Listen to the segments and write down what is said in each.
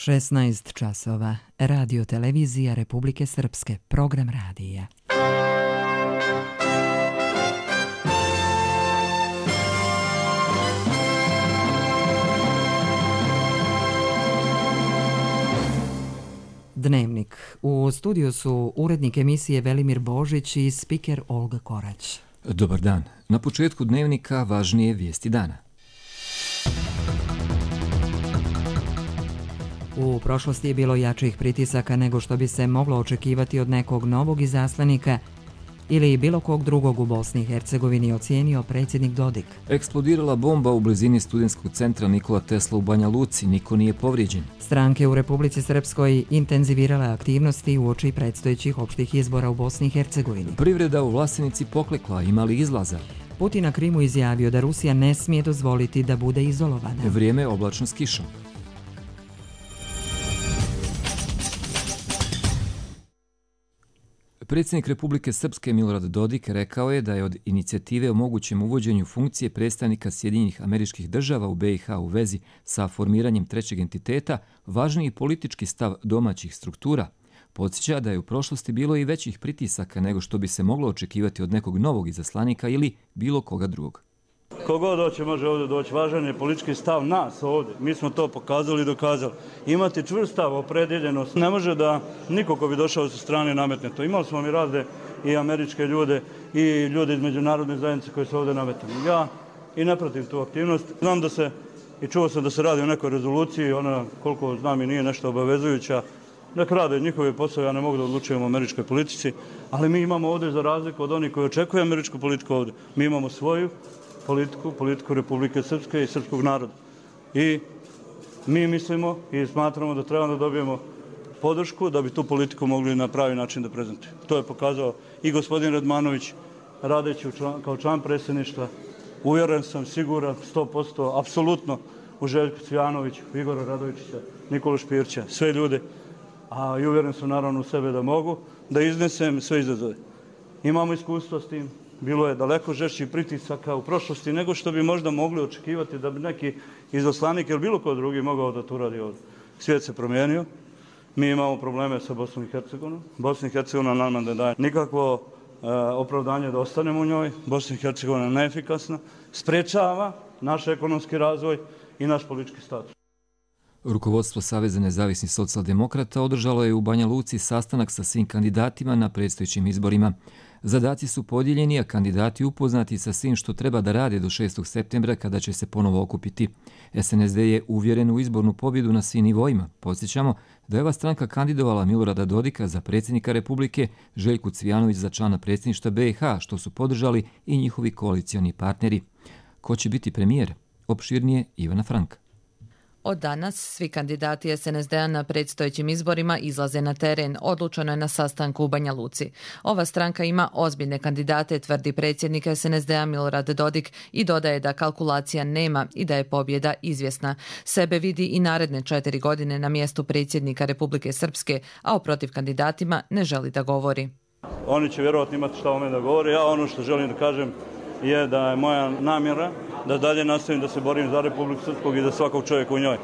16 časova. Radio televizija Republike Srpske. Program radija. Dnevnik. U studiju su urednik emisije Velimir Božić i spiker Olga Korać. Dobar dan. Na početku dnevnika važnije vijesti dana. U prošlosti je bilo jačih pritisaka nego što bi se moglo očekivati od nekog novog izaslanika ili bilo kog drugog u Bosni i Hercegovini, ocijenio predsjednik Dodik. Eksplodirala bomba u blizini studentskog centra Nikola Tesla u Banja Luci, niko nije povrijeđen. Stranke u Republici Srpskoj intenzivirale aktivnosti uoči predstojećih opštih izbora u Bosni i Hercegovini. Privreda u Vlasenici poklekla, ima li izlaza? Putin na Krimu izjavio da Rusija ne smije dozvoliti da bude izolovana. Vrijeme oblačno s kišom. Predsjednik Republike Srpske Milorad Dodik rekao je da je od inicijative o mogućem uvođenju funkcije predstavnika Sjedinjenih Američkih Država u BiH u vezi sa formiranjem trećeg entiteta važniji politički stav domaćih struktura. Podsjeća da je u prošlosti bilo i većih pritisaka nego što bi se moglo očekivati od nekog novog izaslanika ili bilo koga drugog. Kogod doće može ovdje doći, važan je politički stav nas ovdje. Mi smo to pokazali i dokazali. Imati čvrst stav, opredjeljenost. Ne može da niko ko bi došao sa strane nametne to. Imali smo mi razne i američke ljude i ljude iz međunarodne zajednice koji su ovdje nametni. Ja i ne pratim tu aktivnost. Znam da se, i čuo sam da se radi o nekoj rezoluciji, ona koliko znam i nije nešto obavezujuća. Nek rade njihove poslove, ja ne mogu da odlučujem o američkoj politici, ali mi imamo ovdje za razliku od onih koji očekuju američku politiku ovdje. Mi imamo svoju politiku Republike Srpske i srpskog naroda. I mi mislimo i smatramo da trebamo da dobijemo podršku da bi tu politiku mogli na pravi način da prezentujemo. To je pokazao i gospodin Radmanović radeći kao član predsjedništva. Uvjeren sam, siguran, 100%, apsolutno u Željku Cvijanoviću, Igora Radovičića, Nikolu Špirća, sve ljude, a i uvjeren sam naravno u sebe da mogu, da iznesem sve izazove. Imamo iskustvo s tim. Bilo je daleko žešćih pritisaka u prošlosti nego što bi možda mogli očekivati da bi neki izaslanik ili bilo ko drugi mogao da to uradi ovdje. Svijet se promijenio. Mi imamo probleme sa Bosnom i Hercegovinom. Bosna i Hercegovina nam ne daje nikakvo opravdanje da ostanemo u njoj. Bosna i Hercegovina je neefikasna. Sprečava naš ekonomski razvoj i naš politički status. Rukovodstvo Saveza nezavisnih socijaldemokrata održalo je u Banja Luci sastanak sa svim kandidatima na predstojećim izborima. Zadaci su podijeljeni, a kandidati upoznati sa svim što treba da rade do 6. septembra kada će se ponovo okupiti. SNSD je uvjeren u izbornu pobjedu na svim nivoima. Podsjećamo da je ova stranka kandidovala Milorada Dodika za predsjednika Republike, Željku Cvijanović za člana predsjedništva BiH, što su podržali i njihovi koalicioni partneri. Ko će biti premijer? Opširnije Ivana Franka. Od danas svi kandidati SNSD-a na predstojećim izborima izlaze na teren, odlučeno je na sastanku u Banja Luci. Ova stranka ima ozbiljne kandidate, tvrdi predsjednik SNSD-a Milorad Dodik i dodaje da kalkulacija nema i da je pobjeda izvjesna. Sebe vidi i naredne 4 godine na mjestu predsjednika Republike Srpske, a o protiv kandidatima ne želi da govori. Oni će vjerovatno imati šta o mene da govore. Ja ono što želim da kažem je da je moja namjera da dalje nastavim da se borim za Republiku Srpsku i za svakog čovjeka u njoj.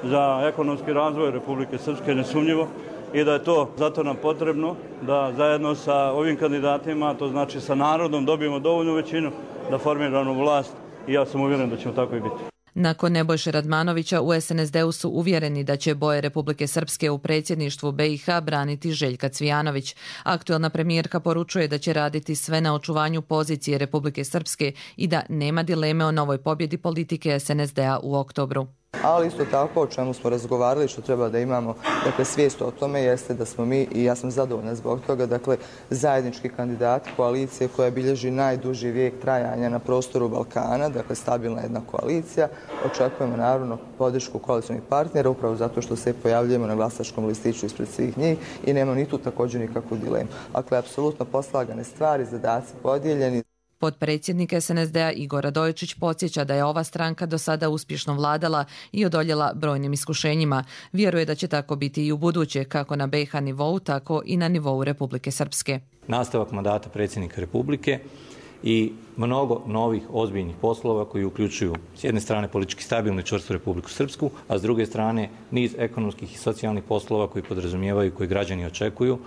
Za ekonomski razvoj Republike Srpske nesumnjivo i da je to zato nam potrebno da zajedno sa ovim kandidatima, to znači sa narodom, dobijemo dovoljnu većinu da formiramo vlast i ja sam uvjeren da ćemo tako i biti. Nakon Nebojše Radmanovića u SNSD-u su uvjereni da će boje Republike Srpske u predsjedništvu BiH braniti Željka Cvijanović. Aktuelna premijerka poručuje da će raditi sve na očuvanju pozicije Republike Srpske i da nema dileme o novoj pobjedi politike SNSD-a u oktobru. Ali isto tako o čemu smo razgovarali, što treba da imamo svijest o tome, jeste da smo mi, i ja sam zadovoljna zbog toga, zajednički kandidati koalicije koja bilježi najduži vijek trajanja na prostoru Balkana, stabilna jedna koalicija. Očekujemo naravno podršku koalicijnih partnera upravo zato što se pojavljujemo na glasačkom listiću ispred svih njih i nema ni tu također nikakvu dilemu. Dakle, apsolutno poslagane stvari, zadaci podijeljeni. Potpredsjednik SNSD-a Igor Radojičić podsjeća da je ova stranka do sada uspješno vladala i odoljela brojnim iskušenjima. Vjeruje da će tako biti i u buduće, kako na BiH nivou, tako i na nivou Republike Srpske. Nastavak mandata predsjednika Republike i mnogo novih ozbiljnih poslova koji uključuju s jedne strane politički stabilnu i čvrstu Republiku Srpsku, a s druge strane niz ekonomskih i socijalnih poslova koji podrazumijevaju, koji građani očekuju,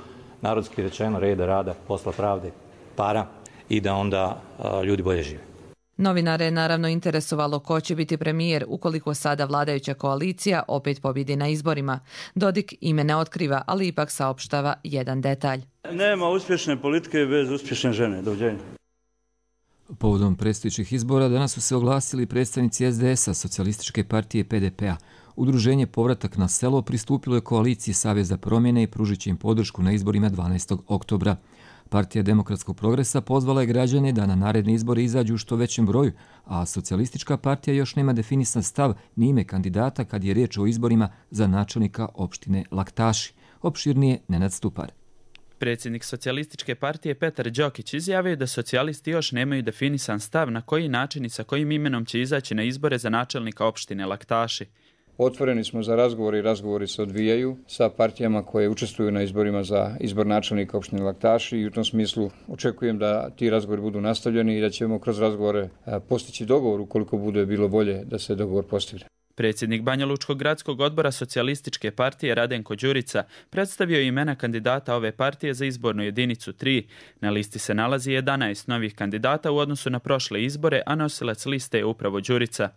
narodski rečeno reda, rada, posla, pravde, para i da onda ljudi bolje žive. Novinare je naravno interesovalo ko će biti premijer ukoliko sada vladajuća koalicija opet pobjedi na izborima. Dodik ime ne otkriva, ali ipak saopštava jedan detalj. Nema uspješne politike bez uspješne žene. Doviđenja. Povodom predstojećih izbora danas su se oglasili predstavnici SDS-a, Socijalističke partije PDP-a. Udruženje Povratak na selo pristupilo je koaliciji Saveza promjene i pružit će im podršku na izborima 12. oktobra. Partija Demokratskog progresa pozvala je građane da na naredne izbore izađu u što većem broju, a Socijalistička partija još nema definisan stav ni ime kandidata kad je riječ o izborima za načelnika opštine Laktaši. Opširnije Nenad Stupar. Predsjednik Socijalističke partije Petar Đokić izjavio da socijalisti još nemaju definisan stav na koji način i sa kojim imenom će izaći na izbore za načelnika opštine Laktaši. Otvoreni smo za razgovore i razgovori se odvijaju sa partijama koje učestvuju na izborima za izbor načelnika opštine Laktaši i u tom smislu očekujem da ti razgovori budu nastavljeni i da ćemo kroz razgovore postići dogovor ukoliko bude bilo bolje da se dogovor postigne. Predsjednik Banjalučkog gradskog odbora Socijalističke partije Radenko Đurica predstavio je imena kandidata ove partije za izbornu jedinicu 3. Na listi se nalazi 11 novih kandidata u odnosu na prošle izbore, a nosilac liste je upravo Đurica.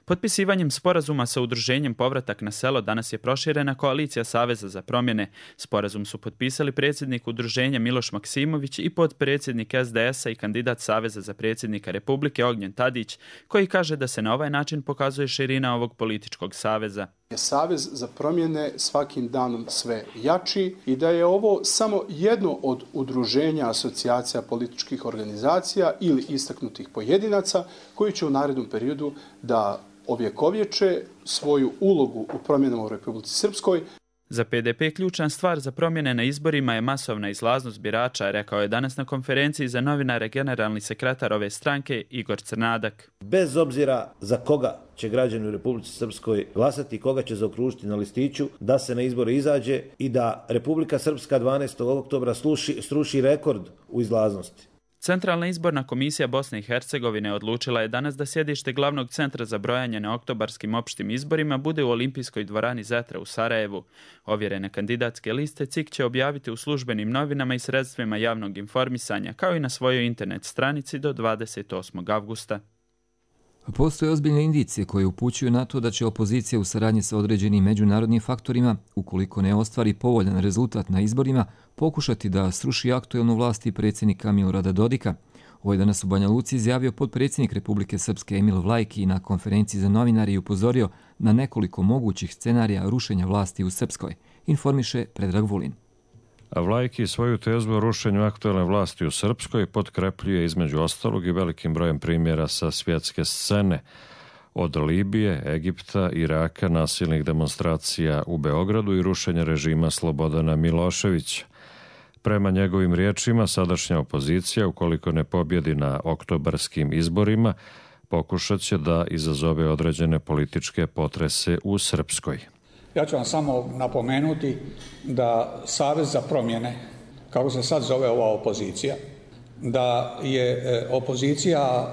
Potpisivanjem sporazuma sa udruženjem Povratak na selo danas je proširena koalicija Saveza za promjene. Sporazum su potpisali predsjednik udruženja Miloš Maksimović i potpredsjednik SDS-a i kandidat Saveza za predsjednika Republike Ognjen Tadić, koji kaže da se na ovaj način pokazuje širina ovog političkog saveza. Savez za promjene svakim danom sve jači i da je ovo samo jedno od udruženja asocijacija političkih organizacija ili istaknutih pojedinaca koji će u narednom periodu da ovjekovječe svoju ulogu u promjenama u Republici Srpskoj. Za PDP ključna stvar za promjene na izborima je masovna izlaznost birača, rekao je danas na konferenciji za novinare generalni sekretar ove stranke Igor Crnadak. Bez obzira za koga će građani u Republici Srpskoj glasati, koga će zaokružiti na listiću, da se na izbore izađe i da Republika Srpska 12. oktobra sruši rekord u izlaznosti. Centralna izborna komisija Bosne i Hercegovine odlučila je danas da sjedište glavnog centra za brojanje na oktobarskim opštim izborima bude u Olimpijskoj dvorani Zetra u Sarajevu. Ovjerene kandidatske liste CIK će objaviti u službenim novinama i sredstvima javnog informisanja, kao i na svojoj internet stranici do 28. avgusta. Postoje ozbiljne indicije koje upućuju na to da će opozicija u saradnji sa određenim međunarodnim faktorima, ukoliko ne ostvari povoljan rezultat na izborima, pokušati da sruši aktuelnu vlast i predsjednika Milorada Dodika. Ovo je danas u Banja Luci izjavio potpredsjednik Republike Srpske Emil Vlajki na konferenciji za novinari i upozorio na nekoliko mogućih scenarija rušenja vlasti u Srpskoj, informiše Predrag Vulin. A Vlajki svoju tezu o rušenju aktuelne vlasti u Srpskoj potkrepljuje između ostalog i velikim brojem primjera sa svjetske scene, od Libije, Egipta, Iraka, nasilnih demonstracija u Beogradu i rušenja režima Slobodana Miloševića. Prema njegovim riječima, sadašnja opozicija, ukoliko ne pobjedi na oktobarskim izborima, pokušat će da izazove određene političke potrese u Srpskoj. Ja ću vam samo napomenuti da Savez za promjene, kako se sad zove ova opozicija, da je opozicija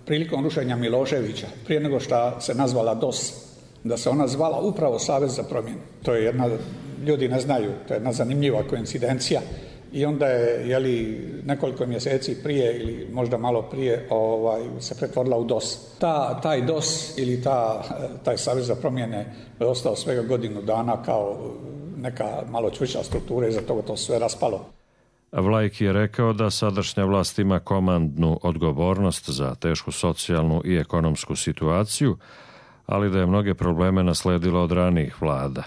prilikom rušenja Miloševića, prije nego što se nazvala DOS, da se ona zvala upravo Savez za promjene. To je ljudi ne znaju, to je jedna zanimljiva koincidencija. I onda je nekoliko mjeseci prije ili možda malo prije se pretvorila u DOS. Taj DOS ili taj Savez za promjene je ostao svega godinu dana kao neka malo čvršća struktura i za toga to sve raspalo. Vlajki je rekao da sadašnja vlast ima komandnu odgovornost za tešku socijalnu i ekonomsku situaciju, ali da je mnoge probleme nasledila od ranijih vlada.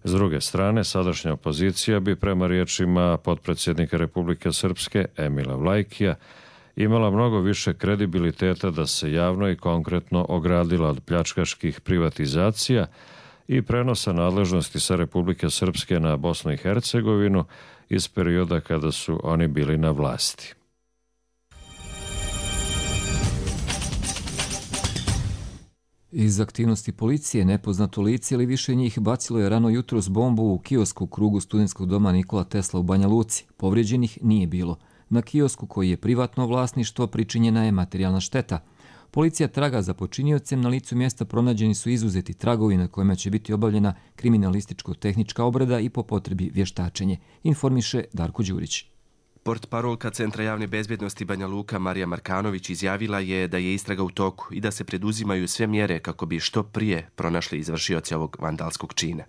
S druge strane, sadašnja opozicija bi prema riječima potpredsjednika Republike Srpske Emila Vlajkija imala mnogo više kredibiliteta da se javno i konkretno ogradila od pljačkaških privatizacija i prenosa nadležnosti sa Republike Srpske na Bosnu i Hercegovinu iz perioda kada su oni bili na vlasti. Iz aktivnosti policije nepoznato lice ili više njih bacilo je rano jutros bombu u kiosku u krugu studentskog doma Nikola Tesla u Banja Luci. Povrijeđenih nije bilo. Na kiosku koji je privatno vlasništvo pričinjena je materijalna šteta. Policija traga za počiniocem, na licu mjesta pronađeni su izuzeti tragovi na kojima će biti obavljena kriminalističko-tehnička obrada i po potrebi vještačenje, informiše Darko Đurić. Portparolka Centra javne bezbjednosti Banja Luka Marija Markanović izjavila je da je istraga u toku i da se preduzimaju sve mjere kako bi što prije pronašli izvršioce ovog vandalskog čina.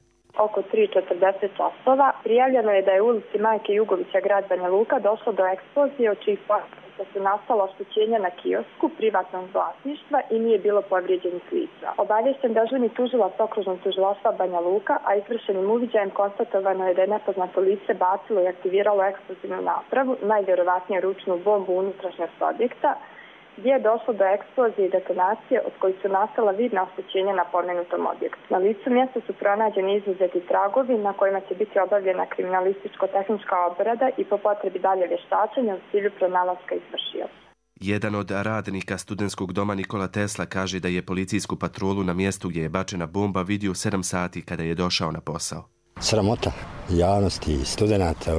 Oko 3:40 časova prijavljeno je da je u ulici Majke Jugovića grad Banja Luka došlo do eksplozije od čijih posljedica su nastala oštećenja na kiosku privatnog vlasništva i nije bilo povrijeđenih lica. Obaviješten dežurni tužilac okružnog tužilaštva Banja Luka, a izvršenim uviđajem konstatovano je da je nepoznato lice bacilo i aktiviralo eksplozivnu napravu, najvjerovatnije ručnu bombu unutrašnjosti objekta, gdje je došlo do eksplozije i detonacije od kojih su nastala vidna oštećenja na pomenutom objektu. Na licu mjesta su pronađeni izuzeti tragovi na kojima će biti obavljena kriminalističko-tehnička obrada i po potrebi dalje vještačenja u cilju pronalaska izvršioca. Jedan od radnika studentskog doma Nikola Tesla kaže da je policijsku patrolu na mjestu gdje je bačena bomba vidio 7 sati kada je došao na posao. Sramota javnosti i studenta,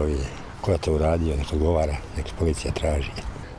ko je to uradio, neka odgovara, neka policija traži.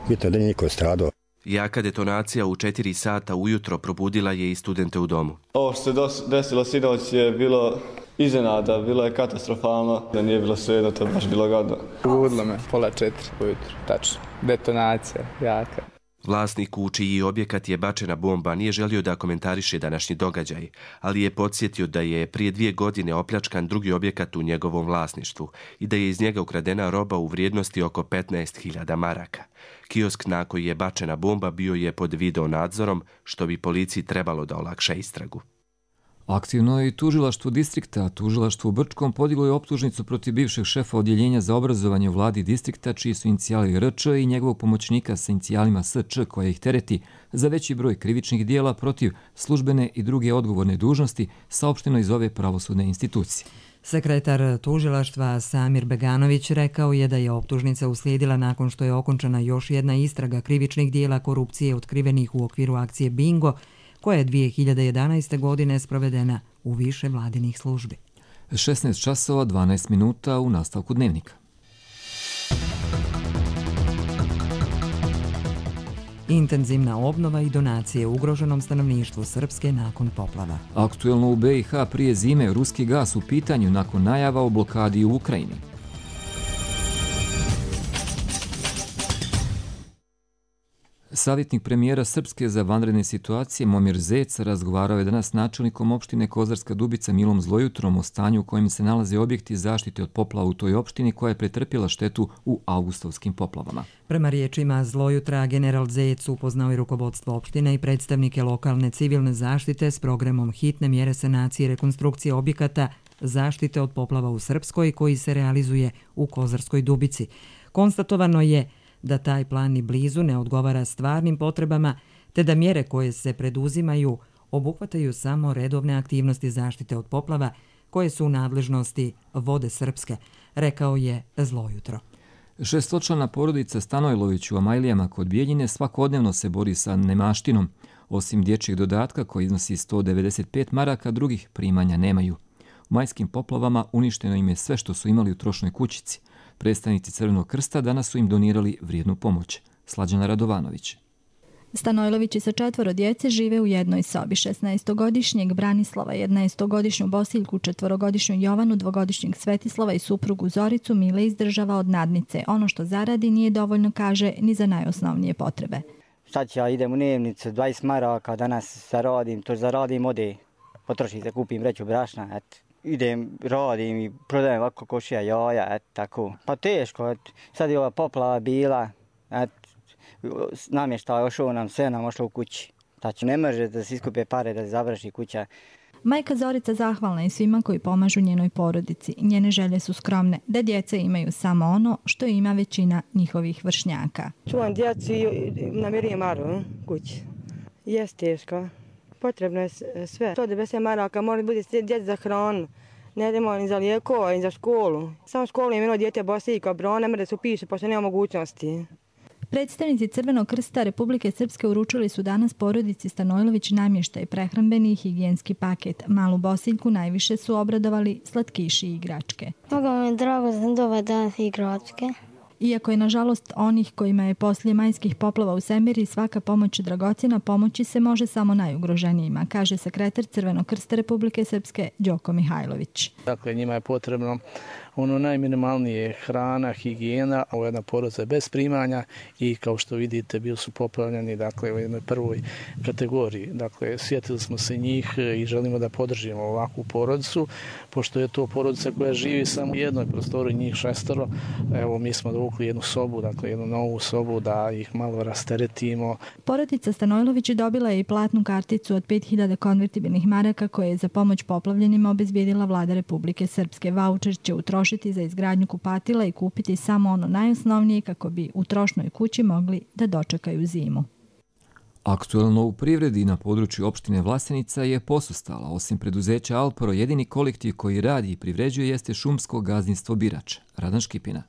Bitno da nije niko stradao. Jaka detonacija u 4 sata ujutro probudila je i studente u domu. Ovo što se desilo sinoć je bilo iznenada, bilo je katastrofalno, da nije bilo svejedno, to je baš bilo gadno. Probudilo me 3:30 ujutro, tačno. Detonacija, jaka. Vlasnik u čiji objekat je bačena bomba nije želio da komentariše današnji događaj, ali je podsjetio da je prije 2 godine opljačkan drugi objekat u njegovom vlasništvu i da je iz njega ukradena roba u vrijednosti oko 15.000 maraka. Kiosk na koji je bačena bomba bio je pod video nadzorom, što bi policiji trebalo da olakša istragu. Aktivno je i tužilaštvo distrikta, a tužilaštvo u Brčkom podiglo je optužnicu protiv bivšeg šefa odjeljenja za obrazovanje u vladi distrikta, čiji su inicijali RČ i njegovog pomoćnika sa inicijalima SČ koja ih tereti za veći broj krivičnih dijela protiv službene i druge odgovorne dužnosti, saopšteno iz ove pravosudne institucije. Sekretar tužilaštva Samir Beganović rekao je da je optužnica uslijedila nakon što je okončana još jedna istraga krivičnih dijela korupcije otkrivenih u okviru akcije Bingo, koja je 2011. godine sprovedena u više vladinih službi. 16 časova 12 minuta u nastavku dnevnika. Intenzivna obnova i donacije ugroženom stanovništvu Srpske nakon poplava. Aktuelno u BiH prije zime ruski gas u pitanju nakon najava o blokadi u Ukrajini. Savjetnik premijera Srpske za vanredne situacije Momir Zec razgovarao je danas s načelnikom opštine Kozarska Dubica Milom Zlojutrom o stanju u kojem se nalaze objekti zaštite od poplava u toj opštini koja je pretrpjela štetu u augustovskim poplavama. Prema riječima Zlojutra, general Zec upoznao i rukovodstvo opštine i predstavnike lokalne civilne zaštite s programom hitne mjere sanacije i rekonstrukcije objekata zaštite od poplava u Srpskoj koji se realizuje u Kozarskoj Dubici. Konstatovano je da taj plan ni blizu ne odgovara stvarnim potrebama, te da mjere koje se preduzimaju obuhvataju samo redovne aktivnosti zaštite od poplava koje su u nadležnosti Vode Srpske, rekao je Zlojutro. 6-člana porodica Stanojlović u Amajlijama kod Bijeljine svakodnevno se bori sa nemaštinom. Osim dječjeg dodatka koji iznosi 195 maraka, drugih primanja nemaju. U majskim poplavama uništeno im je sve što su imali u trošnoj kućici. Predstavnici Crvenog krsta danas su im donirali vrijednu pomoć. Slađana Radovanović. Stanojlovići sa 4 djece žive u jednoj sobi. 16-godišnjeg Branislava, 11-godišnju Bosiljku, 4-godišnju Jovanu, 2-godišnjeg Svetislava i suprugu Zoricu Mile izdržava od nadnice. Ono što zaradi nije dovoljno, kaže, ni za najosnovnije potrebe. Sad ja idem u dnevnicu, 20 maraka, danas zaradim, ode, potrošim se, kupim vreću brašna, eto. Idem, radim i prodajem ovako košija jaja, tako. Pa teško, sad je ova poplava bila, namještaj ošao nam, sve nam ošlo u kući. Znači, ne može da se iskupe pare da se završi kuća. Majka Zorica zahvalna je svima koji pomažu njenoj porodici. Njene želje su skromne, da djeca imaju samo ono što ima većina njihovih vršnjaka. Čuvam djecu i namirujem maru kući. Jes teško. Potrebno je sve. 190 maraka mora biti djeci za hranu. Ne idemo ni za lijekova, ni za školu. Samo školu je imeno djete Bosiljka, Bro, ne mre da se upiše, pošto nema mogućnosti. Predstavnici Crvenog krsta Republike Srpske uručili su danas porodici Stanojlović namještaj, prehrambeni i higijenski paket. Malu Bosiljku najviše su obradovali slatkiši i igračke. Mnogo mi je drago da sam dobar danas igračke. Iako je nažalost onih kojima je poslije majskih poplava u Semiri svaka pomoć dragocjena, pomoći se može samo najugroženijima, kaže sekretar Crvenog krsta Republike Srpske Đoko Mihajlović. Dakle, njima je potrebno ono najminimalnije hrana, higijena, ovo je jedna porodica bez primanja i kao što vidite bili su poplavljeni dakle, u jednoj prvoj kategoriji. Dakle, sjetili smo se njih i želimo da podržimo ovakvu porodicu, pošto je to porodica koja živi samo u jednoj prostoriji, njih 6. Evo, mi smo dovukli jednu sobu, dakle jednu novu sobu da ih malo rasteretimo. Porodica Stanojlović dobila je i platnu karticu od 5000 konvertibilnih maraka koje je za pomoć poplavljenima obezbijedila vlada Republike Srpske. Vaučer će utrošiti za izgradnju kupatila i kupiti samo ono najosnovnije kako bi u trošnoj kući mogli da dočekaju zimu. Aktuelno u privredi na području opštine Vlasenica je posustala. Osim preduzeća Alpro, jedini kolektiv koji radi i privređuje jeste šumsko gazdinstvo Birač. Radan Škipina.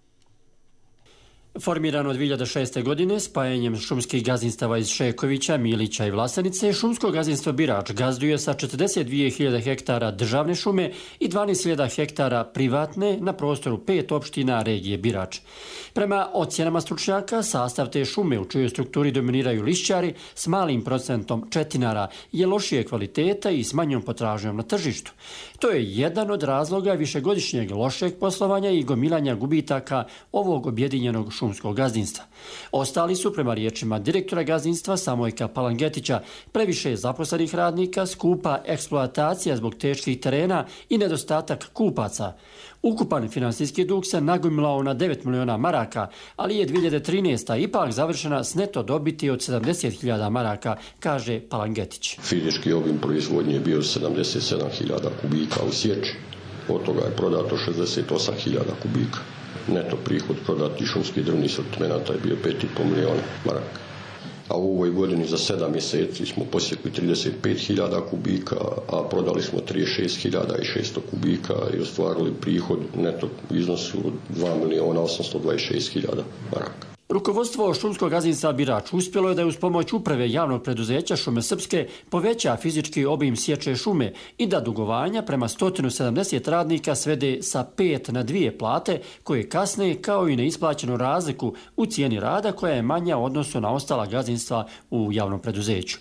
Formirano 2006. godine spajanjem šumskih gazdinstava iz Šekovića, Milića i Vlasenice, šumsko gazdinstvo Birač gazduje sa 42.000 hektara državne šume i 12.000 hektara privatne na prostoru 5 opština regije Birač. Prema ocjenama stručnjaka, sastav te šume u čijoj strukturi dominiraju lišćari s malim procentom četinara je lošije kvaliteta i s manjom potražnjom na tržištu. To je jedan od razloga višegodišnjeg lošeg poslovanja i gomilanja gubitaka ovog objedinjenog šumskog gazdinstva. Ostali su, prema riječima direktora gazdinstva Samojka Palangetića, previše zaposlenih radnika, skupa eksploatacija zbog teških terena i nedostatak kupaca. Ukupan finansijski dug se nagomilao na 9 miliona maraka, ali je 2013. ipak završena s neto dobiti od 70.000 maraka, kaže Palangetić. Fizički obim proizvodnje je bio 77.000 kubika u sječi, od toga je prodato 68.000 kubika. Neto prihod prodati šumskih drvnih sortimenata je bio 5,5 miliona maraka. A u ovoj godini za 7 mjeseci smo posjekli 35.000 kubika, a prodali smo 36.600 kubika i ostvarili prihod neto iznosu od 2.826.000 maraka. Rukovodstvo šumskog gazdinstva Birač uspjelo je da je uz pomoć uprave javnog preduzeća Šume Srpske poveća fizički obim sječe šume i da dugovanja prema 170 radnika svede sa 5 na 2 plate koje kasne kao i neisplaćenu razliku u cijeni rada koja je manja u odnosu na ostala gazdinstva u javnom preduzeću.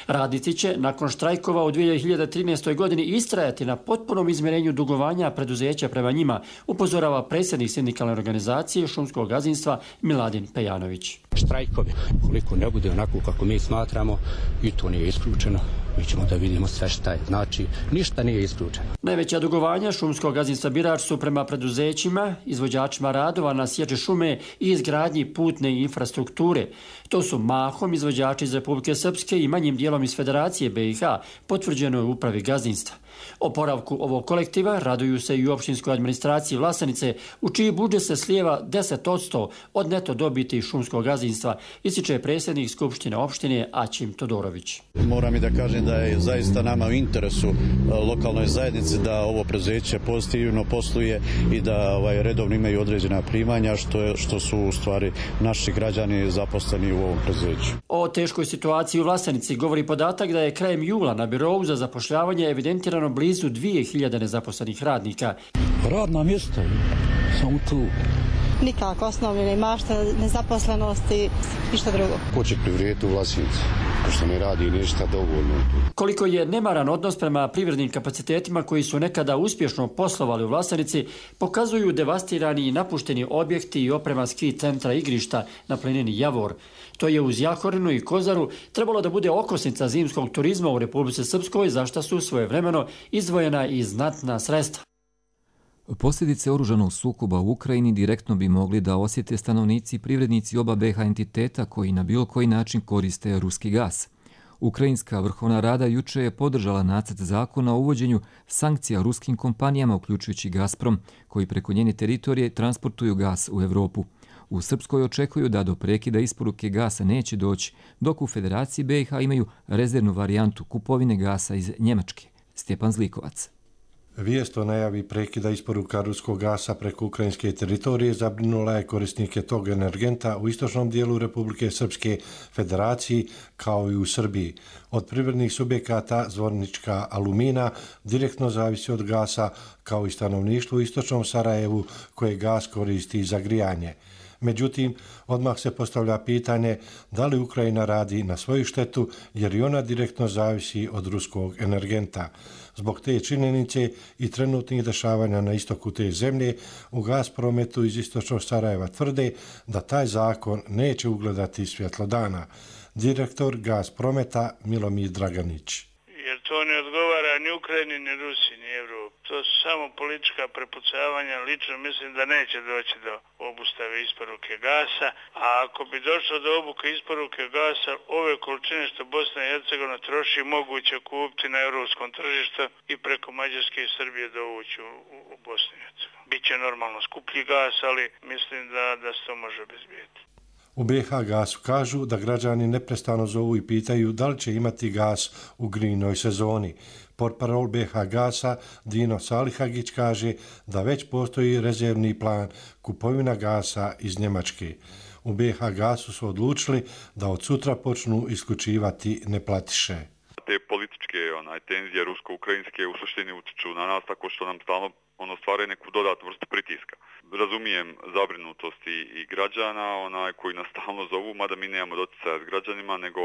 Radnici će nakon štrajkova u 2013. godini istrajati na potpunom izmjerenju dugovanja preduzeća prema njima, upozorava predsjednik sindikalne organizacije šumskog gazdinstva Miladin Pejanović. Štrajkovi, koliko ne bude onako kako mi smatramo, i to nije isključeno, mi ćemo da vidimo sve šta je. Znači, ništa nije isključeno. Najveća dugovanja šumskog gazdinstva Birač su prema preduzećima, izvođačima radova na sječi šume i izgradnji putne infrastrukture. To su mahom izvođači iz Republike Srpske i manjim dijelom iz Federacije BiH, potvrđeno je u upravi gazdinstva. Oporavku ovog kolektiva raduju se i u opštinskoj administraciji Vlasenice, u čiji budžet se slijeva 10% od neto dobiti šumskog gazdinstva, ističe predsjednik Skupštine opštine Aćim Todorović. Moram i da kažem da je zaista nama u interesu lokalnoj zajednici da ovo preduzeće pozitivno posluje i da redovno imaju određena primanja, što su u stvari naši građani zaposleni u ovom preduzeću. O teškoj situaciji u Vlasenici govori podatak da je krajem jula na birovu za zapošljavanje evidentirano blizu 2000 nezaposlenih radnika. Radna mjesta, samo tu. Nikako osnovljene mašta, nezaposlenosti, ništa drugo. Ko će privrijeti u Vlasenici, pošto ne radi ništa dovoljno. Koliko je nemaran odnos prema privrednim kapacitetima koji su nekada uspješno poslovali u Vlasenici, pokazuju devastirani i napušteni objekti i oprema ski centra igrišta na planini Javor. To je uz Jahorinu i Kozaru trebalo da bude okosnica zimskog turizma u Republici Srpskoj, za šta su svojevremeno izdvojena i znatna sredstva. Posljedice oružanog sukoba u Ukrajini direktno bi mogli da osjete stanovnici i privrednici oba BiH entiteta koji na bilo koji način koriste ruski gas. Ukrajinska vrhovna rada juče je podržala nacrt zakona o uvođenju sankcija ruskim kompanijama, uključujući Gazprom, koji preko njene teritorije transportuju gas u Evropu. U Srpskoj očekuju da do prekida isporuke gasa neće doći, dok u Federaciji BiH imaju rezervnu varijantu kupovine gasa iz Njemačke. Stjepan Zlikovac. Vijest o najavi prekida isporuka ruskog gasa preko ukrajinske teritorije zabrinula je korisnike tog energenta u istočnom dijelu Republike Srpske Federaciji kao i u Srbiji. Od privrednih subjekata Zvornička Alumina direktno zavisi od gasa, kao i stanovništvo u istočnom Sarajevu koje gas koristi za grijanje. Međutim, odmah se postavlja pitanje da li Ukrajina radi na svoju štetu jer i ona direktno zavisi od ruskog energenta. Zbog te činjenice i trenutnih dešavanja na istoku te zemlje, u Gazprometu iz istočnog Sarajeva tvrde da taj zakon neće ugledati svjetlo dana. Direktor Gazprometa Milomir Draganić. Jer to ne odgovara ni Ukrajini, ni Rusiji, ni Evropi. To su samo politička prepucavanja. Lično mislim da neće doći do obustave isporuke gasa, a ako bi došlo do obuke isporuke gasa, ove količine što Bosna i Hercegovina troši moguće kupiti na europskom tržištu i preko Mađarske i Srbije dovući u Bosnu i Hercegovinu. Biće normalno skuplji gas, ali mislim da se to može obezbijeti. U BiH Gasu kažu da građani neprestano zovu i pitaju da li će imati gas u grijnoj sezoni. Portparol BiH Gasa Dino Salihagić kaže da već postoji rezervni plan kupovina gasa iz Njemačke. U BiH Gasu su odlučili da od sutra počnu isključivati neplatiše. Te političke tenzije rusko-ukrajinske u suštini utiču na nas tako što nam stalno stvaraju neku dodatnu vrstu pritiska. Razumijem zabrinutost i građana koji nas stalno zovu, mada mi nemamo doticaja s građanima, nego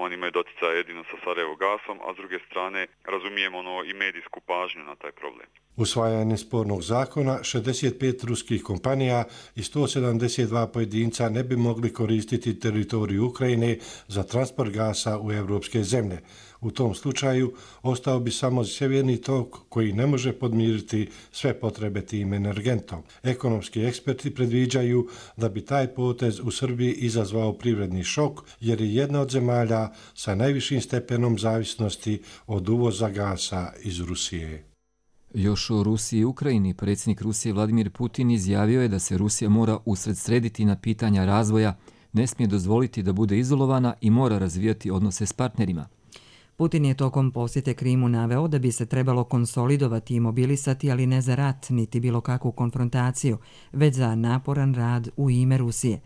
oni imaju doticaja jedino sa Sarajevo gasom, a s druge strane razumijem i medijsku pažnju na taj problem. Usvajanje spornog zakona 65 ruskih kompanija i 172 pojedinca ne bi mogli koristiti teritoriju Ukrajine za transport gasa u evropske zemlje. U tom slučaju ostao bi samo sjeverni tok koji ne može podmiriti sve potrebe tim energentom. Ekonomski eksperti predviđaju da bi taj potez u Srbiji izazvao privredni šok jer je jedna od zemalja sa najvišim stepenom zavisnosti od uvoza gasa iz Rusije. Još o Rusiji i Ukrajini, predsjednik Rusije Vladimir Putin izjavio je da se Rusija mora usredsrediti na pitanja razvoja, ne smije dozvoliti da bude izolovana i mora razvijati odnose s partnerima. Putin je tokom posjete Krimu naveo da bi se trebalo konsolidovati i mobilisati, ali ne za rat, niti bilo kakvu konfrontaciju, već za naporan rad u ime Rusije.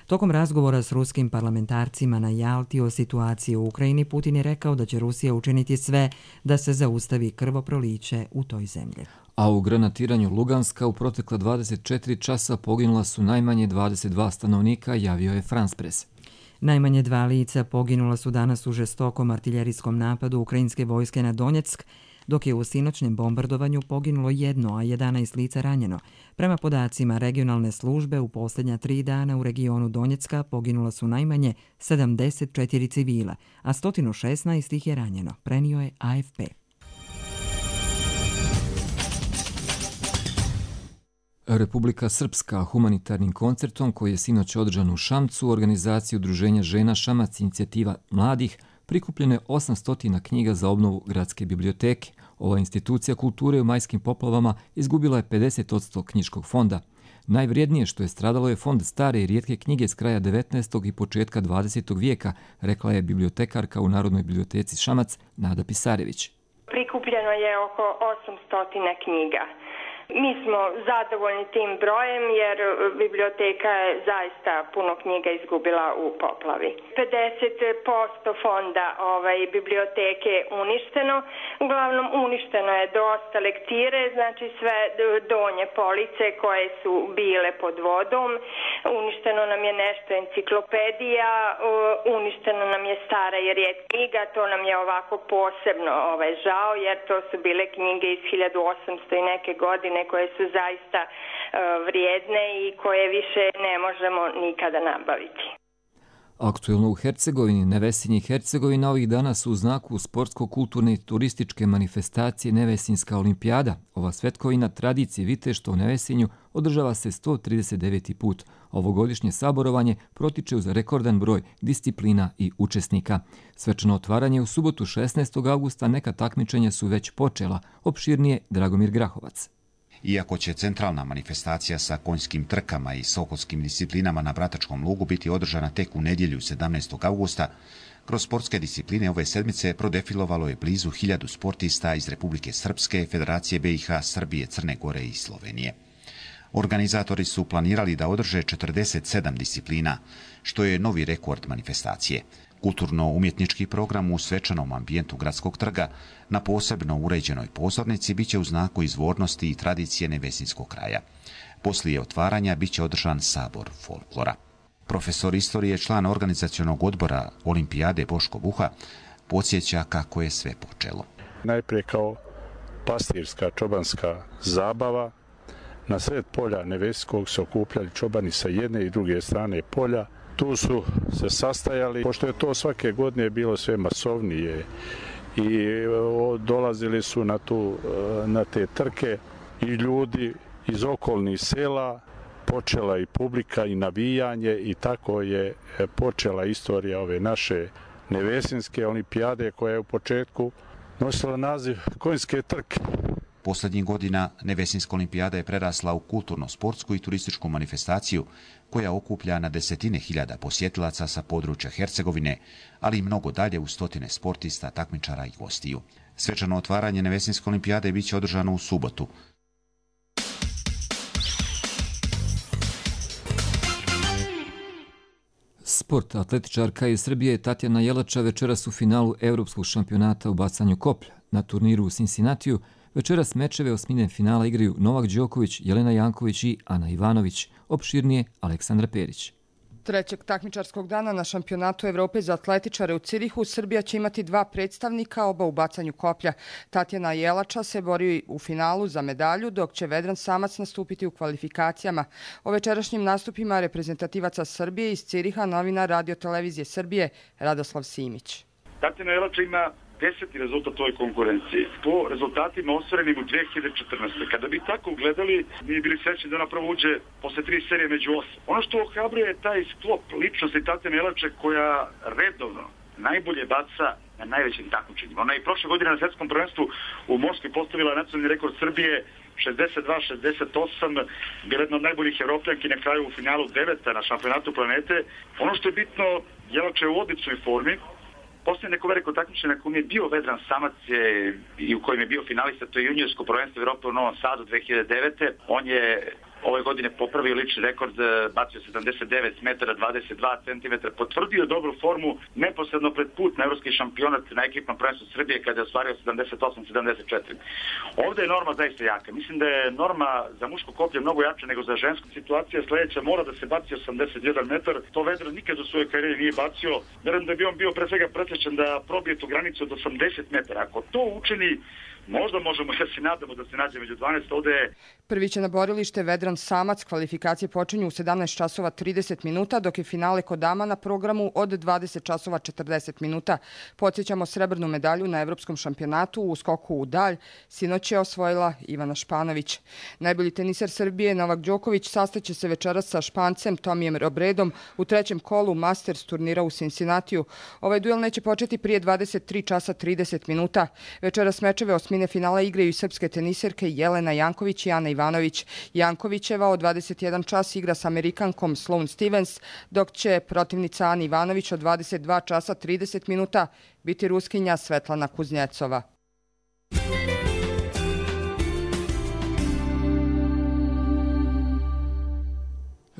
Tokom razgovora s ruskim parlamentarcima na Jalti o situaciji u Ukrajini, Putin je rekao da će Rusija učiniti sve da se zaustavi krvoproliće u toj zemlji. A u granatiranju Luganska u protekla 24 časa poginula su najmanje 22 stanovnika, javio je France Press. Najmanje 2 lica poginula su danas u žestokom artiljerijskom napadu ukrajinske vojske na Donjeck, dok je u sinoćnem bombardovanju poginulo 1, a 11 lica ranjeno. Prema podacima regionalne službe, u posljednja 3 dana u regionu Donjecka poginula su najmanje 74 civila, a 116 ih je ranjeno, prenio je AFP. Republika Srpska humanitarnim koncertom koji je sinoć održan u Šamcu u organizaciji Udruženja žena Šamac inicijativa mladih prikupljeno je 800 knjiga za obnovu gradske biblioteke. Ova institucija kulture u majskim poplavama izgubila je 50% knjiškog fonda. Najvrijednije što je stradalo je fond stare i rijetke knjige s kraja 19. i početka 20. vijeka, rekla je bibliotekarka u Narodnoj biblioteci Šamac Nada Pisarević. Prikupljeno je oko 800 knjiga. Mi smo zadovoljni tim brojem jer biblioteka je zaista puno knjiga izgubila u poplavi. 50% fonda biblioteke je uništeno. Uglavnom uništeno je dosta lektire, znači sve donje police koje su bile pod vodom. Uništeno nam je nešto enciklopedija, uništeno nam je stara i rijetka knjiga. To nam je ovako posebno žao jer to su bile knjige iz 1800 i neke godine koje su zaista vrijedne i koje više ne možemo nikada nabaviti. Aktuelno u Hercegovini, Nevesinje i Hercegovina ovih dana su u znaku sportsko-kulturne i turističke manifestacije Nevesinska olimpijada. Ova svetkovina tradicije viteštva u Nevesinju održava se 139. put. Ovogodišnje saborovanje protiče uz rekordan broj disciplina i učesnika. Svečano otvaranje u subotu 16. augusta, neka takmičenja su već počela, opširnije Dragomir Grahovac. Iako će centralna manifestacija sa konjskim trkama i sokolskim disciplinama na Bratačkom lugu biti održana tek u nedjelju 17. augusta, kroz sportske discipline ove sedmice prodefilovalo je blizu 1000 sportista iz Republike Srpske, Federacije BiH, Srbije, Crne Gore i Slovenije. Organizatori su planirali da održe 47 disciplina, što je novi rekord manifestacije. Kulturno-umjetnički program u svečanom ambijentu gradskog trga na posebno uređenoj pozornici biće u znaku izvornosti i tradicije nevesinskog kraja. Poslije otvaranja biće održan sabor folklora. Profesor istorije, član organizacionog odbora Olimpijade Boško Buha, podsjeća kako je sve počelo. Najprije kao pastirska čobanska zabava, na sred polja Nevesinskog se okupljali čobani sa jedne i druge strane polja. Tu su se sastajali, pošto je to svake godine bilo sve masovnije i dolazili su na te trke i ljudi iz okolnih sela, počela i publika i navijanje i tako je počela istorija ove naše Nevesinske olimpijade koja je u početku nosila naziv konjske trke. Posljednjih godina Nevesinska olimpijada je prerasla u kulturno-sportsku i turističku manifestaciju koja okuplja na desetine hiljada posjetilaca sa područja Hercegovine, ali i mnogo dalje u stotine sportista, takmičara i gostiju. Svečano otvaranje Nevesinske olimpijade biće održano u subotu. Sport. Atletičarka iz Srbije Tatjana Jelača večeras u finalu Evropskog šampionata u bacanju koplja. Na turniru u Cincinnatiju večeras mečeve osmine finala igraju Novak Đoković, Jelena Janković i Ana Ivanović. Opširnije Aleksandra Perić. Trećeg takmičarskog dana na šampionatu Evrope za atletičare u Cirihu Srbija će imati 2 predstavnika, oba u bacanju koplja. Tatjana Jelača se bori u finalu za medalju, dok će Vedran Samac nastupiti u kvalifikacijama. O večerašnjim nastupima reprezentativaca Srbije iz Ciriha novinar Radio Televizije Srbije Radoslav Simić. Tatjana Jelača ima 10. rezultat u ovoj konkurenciji. Po rezultatima ostvarenim u 2014. Kada bi tako gledali, mi bili srećni da ona prvo uđe posle 3 serije među 8. Ono što ohrabruje je taj sklop ličnosti Tatjane Jelače koja redovno najbolje baca na najvećim takmičenjima. Ona je prošle godine na svetskom prvenstvu u Moskvi postavila nacionalni rekord Srbije 62-68, bila jedna od najboljih evropljanki, na kraju u finalu 9. na šampionatu planete. Ono što je bitno, Jelača je u odličnoj formi. Poslije neko veliko takmičenje na kojem je bio Vedran Samac i u kojem je bio finalista, to je juniorsko prvenstvo Evrope u Novom Sadu 2009. On je ove godine popravio lični rekord, bacio 79 metara 22 cm, potvrdio dobru formu neposredno pred put na evropski šampionat na ekipnom prvenstvu Srbije kada je ostvario 78-74. Ovdje je norma zaista jaka. Mislim da je norma za muško koplje mnogo jača nego za žensko. Situacija sljedeća, mora da se baci 81 metar. To Vedran nikad u svojoj karijeri nije bacio. Verujem da bi on bio pre svega presrećan da probije tu granicu od 80 metara. Ako to učini, možda možemo, ja se nadamo da se nađe među 12, ovdje je... Prvi će na borilište Vedran Samac, kvalifikacije počinju u 17 časova 30 minuta, dok je finale kod dama na programu od 20 časova 40 minuta. Podsjećamo srebrnu medalju na Evropskom šampionatu u skoku u dalj. Sinoć je osvojila Ivana Španović. Najbolji teniser Srbije Novak Đoković sastaće se večeras sa Špancem Tomijem Robredom u trećem kolu Masters turnira u Cincinnatiju. Ovaj duel neće početi prije 23 časa 30 minuta. Večeras mečeve osmine finala igraju i srpske teniserke Jelena Janković i Ana Ivanović. Jankovićeva od 21 čas igra s Amerikankom Sloane Stevens, dok će protivnica Ana Ivanović od 22 časa 30 minuta biti Ruskinja Svetlana Kuznjecova.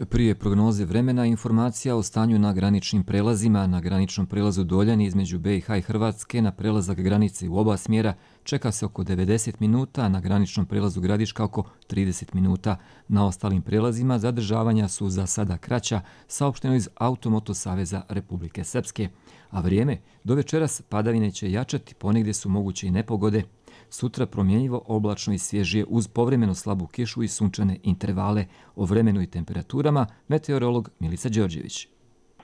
Prije prognoze vremena informacija o stanju na graničnim prelazima. Na graničnom prelazu Doljani između BiH i Hrvatske na prelazak granice u oba smjera čeka se oko 90 minuta, a na graničnom prelazu Gradiška oko 30 minuta. Na ostalim prelazima zadržavanja su za sada kraća, saopšteno iz Automoto Saveza Republike Srpske. A vrijeme, do večeras padavine će jačati, ponegdje su moguće i nepogode. Sutra promjenjivo, oblačno i svježije uz povremeno slabu kišu i sunčane intervale. O vremenu i temperaturama meteorolog Milica Đorđević.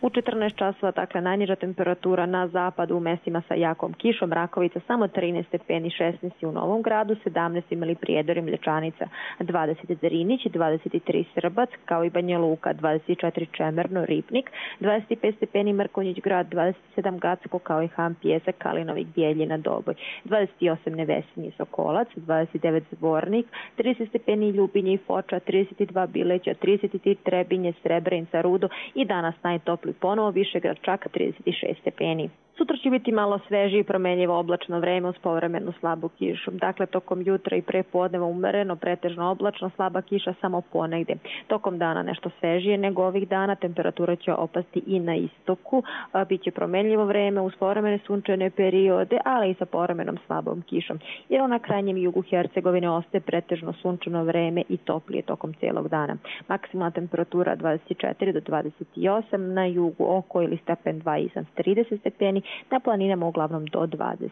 U 14 časova, dakle, najniža temperatura na zapadu u mestima sa jakom kišom, Rakovica samo 13 stepeni, 16 u Novom Gradu, 17 imali Prijedor i Mlječanica, 20 Zerinić, 23 Srbac, kao i Banja Luka, 24 Čemerno, Ripnik, 25 stepeni Mrkonjić Grad, 27 Gacko, kao i Han Pijesak, Kalinovik, Bijeljina, Doboj, 28 Nevesinje, Sokolac, 29 Zvornik, 30 stepeni Ljubinje i Foča, 32 Bileća, 33 Trebinje, Srebrenica, Rudo i danas najtopliji ponovo Višegrad čak 36 stepeni. Sutra će biti malo svežije i promenljivo oblačno vreme uz povremenu slabu kišu. Dakle, tokom jutra i prepodneva umereno, pretežno oblačno, slaba kiša samo ponegde. Tokom dana nešto svežije nego ovih dana, temperatura će opasti i na istoku. Biće promenljivo vreme uz povremene sunčane periode, ali i sa povremenom slabom kišom. Jer na krajnjem jugu Hercegovine ostaje pretežno sunčano vreme i toplije tokom celog dana. Maksimalna temperatura 24 do 28, na jugu oko ili stepen 2 izan 30 stepeni, na planinama uglavnom do 20.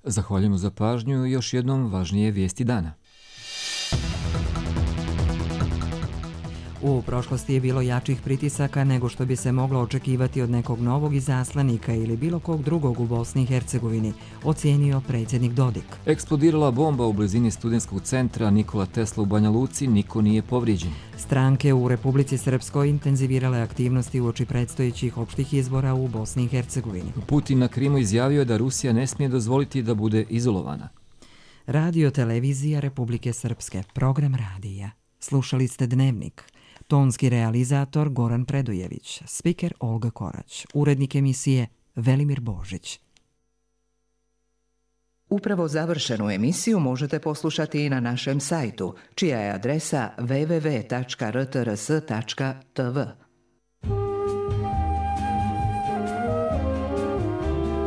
Zahvaljujemo za pažnju i još jednom važnije vijesti dana. U prošlosti je bilo jačih pritisaka nego što bi se moglo očekivati od nekog novog izaslanika ili bilo kog drugog u Bosni i Hercegovini, ocijenio predsjednik Dodik. Eksplodirala bomba u blizini studentskog centra Nikola Tesla u Banja Luci, niko nije povrijeđen. Stranke u Republici Srpskoj intenzivirale aktivnosti uoči predstojećih opštih izbora u Bosni i Hercegovini. Putin na Krimu izjavio da Rusija ne smije dozvoliti da bude izolovana. Radio televizija Republike Srpske, program radija. Slušali ste Dnevnik. Tonski realizator Goran Predujević, spiker Olga Korać, urednik emisije Velimir Božić. Upravo završenu emisiju možete poslušati i na našem sajtu, čija je adresa www.rtrs.tv.